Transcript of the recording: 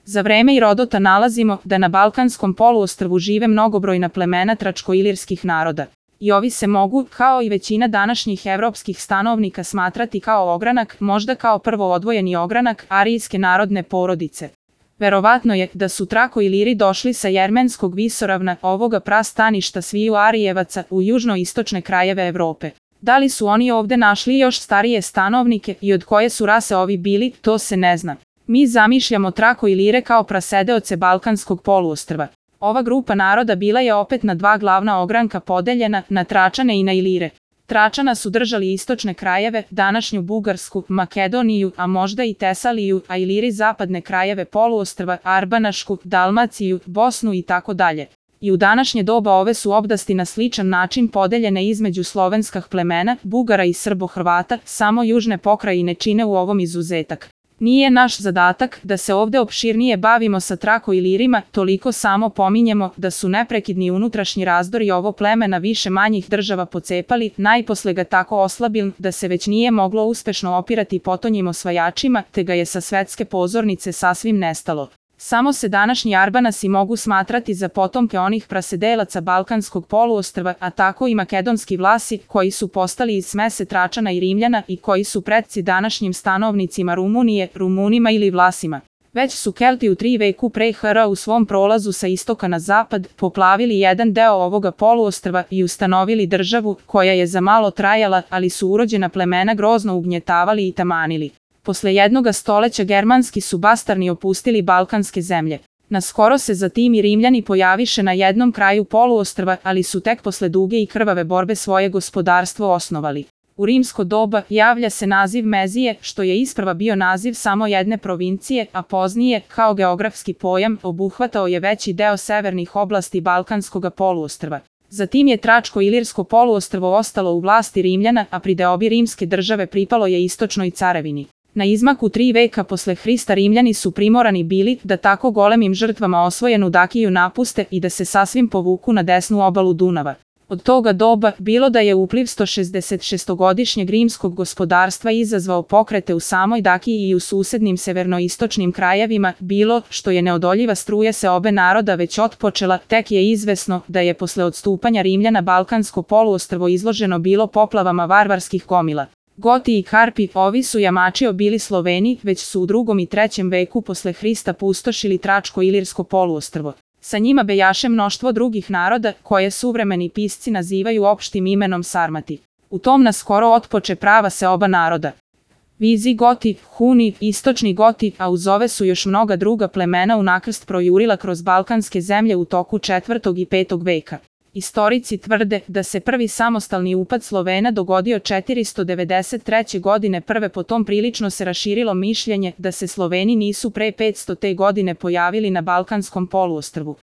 Za vreme Irodota nalazimo da na Balkanskom poluostrvu žive mnogobrojna plemena tračko-ilirskih naroda. I ovi se mogu, kao i većina današnjih evropskih stanovnika, smatrati kao ogranak, možda kao prvo odvojeni ogranak arijske narodne porodice. Verovatno je da su Trako-Iliri došli sa Jermenskog visoravna, ovoga prastaništa sviju Arijevaca, u južno-istočne krajeve Evrope. Da li su oni ovde našli još starije stanovnike i od koje su rase ovi bili, to se ne zna. Mi zamišljamo Trako-Ilire kao prasedeoce Balkanskog poluostrva. Ova grupa naroda bila je opet na dva glavna ogranka podeljena, na Tračane i na Ilire. Tračana su držali istočne krajeve, današnju Bugarsku, Makedoniju, a možda i Tesaliju, a Iliri zapadne krajeve poluostrva, Arbanašku, Dalmaciju, Bosnu i tako dalje. I u današnje doba ove su oblasti na sličan način podeljene između slovenskih plemena, Bugara i Srbo-Hrvata, samo južne pokrajine čine u ovom izuzetak. Nije naš zadatak da se ovde opširnije bavimo sa Trako-Ilirima, toliko samo pominjemo da su neprekidni unutrašnji razdori ovo pleme na više manjih država pocepali, najposle ga tako oslabili da se već nije moglo uspešno opirati potonjim osvajačima, te ga je sa svetske pozornice sasvim nestalo. Samo se današnji Arbanasi mogu smatrati za potomke onih prasedelaca Balkanskog poluostrva, a tako i makedonski Vlasi, koji su postali iz smese Tračana i Rimljana i koji su pretci današnjim stanovnicima Rumunije, Rumunima ili Vlasima. Već su Kelti u 3. veku pre HR u svom prolazu sa istoka na zapad poplavili jedan deo ovoga poluostrva i ustanovili državu koja je za malo trajala, ali su urođena plemena grozno ugnjetavali i tamanili. Posle jednoga stoleća germanski su bastarni opustili balkanske zemlje. Naskoro se zatim i Rimljani pojaviše na jednom kraju poluostrva, ali su tek posle duge i krvave borbe svoje gospodarstvo osnovali. U rimsko doba javlja se naziv Mezije, što je isprva bio naziv samo jedne provincije, a poznije, kao geografski pojam, obuhvatao je veći deo severnih oblasti Balkanskog poluostrva. Zatim je Tračko-Ilirsko poluostrvo ostalo u vlasti Rimljana, a pri deobi rimske države pripalo je istočnoj carevini. Na izmaku 3 veka posle Hrista Rimljani su primorani bili da tako golemim žrtvama osvojenu Dakiju napuste i da se sasvim povuku na desnu obalu Dunava. Od toga doba, bilo da je upliv 166-godišnjeg rimskog gospodarstva izazvao pokrete u samoj Dakiji i u susednim severnoistočnim krajevima, bilo što je neodoljiva struja se obe naroda već otpočela, tek je izvesno da je posle odstupanja Rimljana Balkansko poluostrvo izloženo bilo poplavama varvarskih gomila. Goti i Karpi, ovi su jamačio bili Sloveni, već su u 2. i 3. veku posle Hrista pustošili Tračko-Ilirsko poluostrvo. Sa njima bejaše mnoštvo drugih naroda, koje suvremeni pisci nazivaju opštim imenom Sarmati. U tom naskoro otpoče prava seoba naroda. Vizigoti, Huni, istočni Goti, a uz ove su još mnoga druga plemena unakrst projurila kroz balkanske zemlje u toku 4. i 5. veka. Istorici tvrde da se prvi samostalni upad Slovena dogodio 493. godine prve, potom prilično se raširilo mišljenje da se Sloveni nisu pre 500. godine pojavili na Balkanskom poluostrvu.